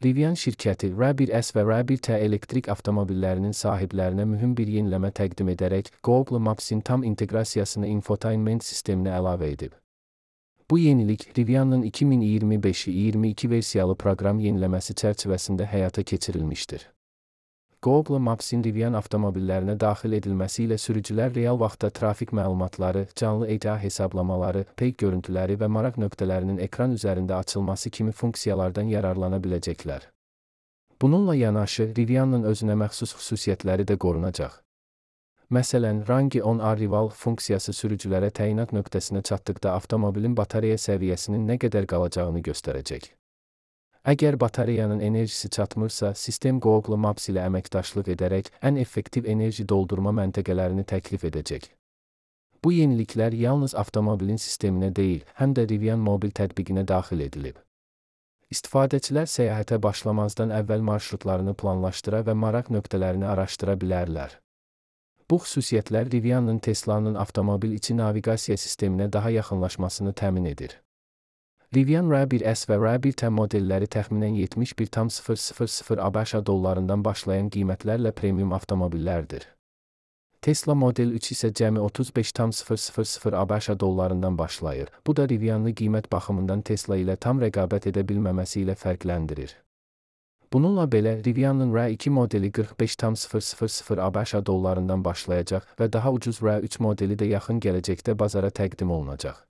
Rivian şirkəti R1S və R1T elektrik avtomobillərinin sahiblərinə mühüm bir yeniləmə təqdim edərək Google Maps-in tam inteqrasiyasını infotainment sisteminə əlavə edib. Bu yenilik Rivian'ın 2025-22 versiyalı proqram yeniləməsi çərçivəsində həyata keçirilmişdir. Google Maps-in Rivian avtomobillərinə daxil edilməsi ilə sürücülər real vaxtda trafik məlumatları, canlı ecra hesablamaları, peyk görüntüləri və maraq nöqtələrinin ekran üzərində açılması kimi funksiyalardan yararlana biləcəklər. Bununla yanaşı, Rivian'ın özünə məxsus xüsusiyyətləri də qorunacaq. Məsələn, Range on Arrival funksiyası sürücülərə təyinat nöqtəsinə çatdıqda avtomobilin batareya səviyyəsinin nə qədər qalacağını göstərəcək. Əgər batareyanın enerjisi çatmırsa, sistem Google Maps ilə əməkdaşlıq edərək ən effektiv enerji doldurma məntəqələrini təklif edəcək. Bu yeniliklər yalnız avtomobilin sisteminə deyil, həm də Rivian mobil tətbiqinə daxil edilib. İstifadəçilər səyahətə başlamazdan əvvəl marşrutlarını planlaşdıra və maraq nöqtələrini araşdıra bilərlər. Bu xüsusiyyətlər Rivian'ın Tesla'nın avtomobil içi naviqasiya sisteminə daha yaxınlaşmasını təmin edir. Rivian R1S və R1T modelləri təxminən 71,000 ABŞ dollarından başlayan qiymətlərlə premium avtomobillərdir. Tesla Model 3 isə cəmi 35,000 ABŞ dollarından başlayır. Bu da Rivian'ı qiymət baxımından Tesla ilə tam rəqabət edə bilməməsi ilə fərqləndirir. Bununla belə, Rivian'ın R2 modeli 45,000 ABŞ dollarından başlayacaq və daha ucuz R3 modeli də yaxın gələcəkdə bazara təqdim olunacaq.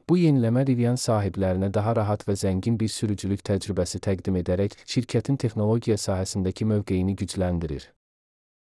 Bu yeniləmə Rivian sahiblərinə daha rahat və zəngin bir sürücülük təcrübəsi təqdim edərək şirkətin texnologiya sahəsindəki mövqeyini gücləndirir.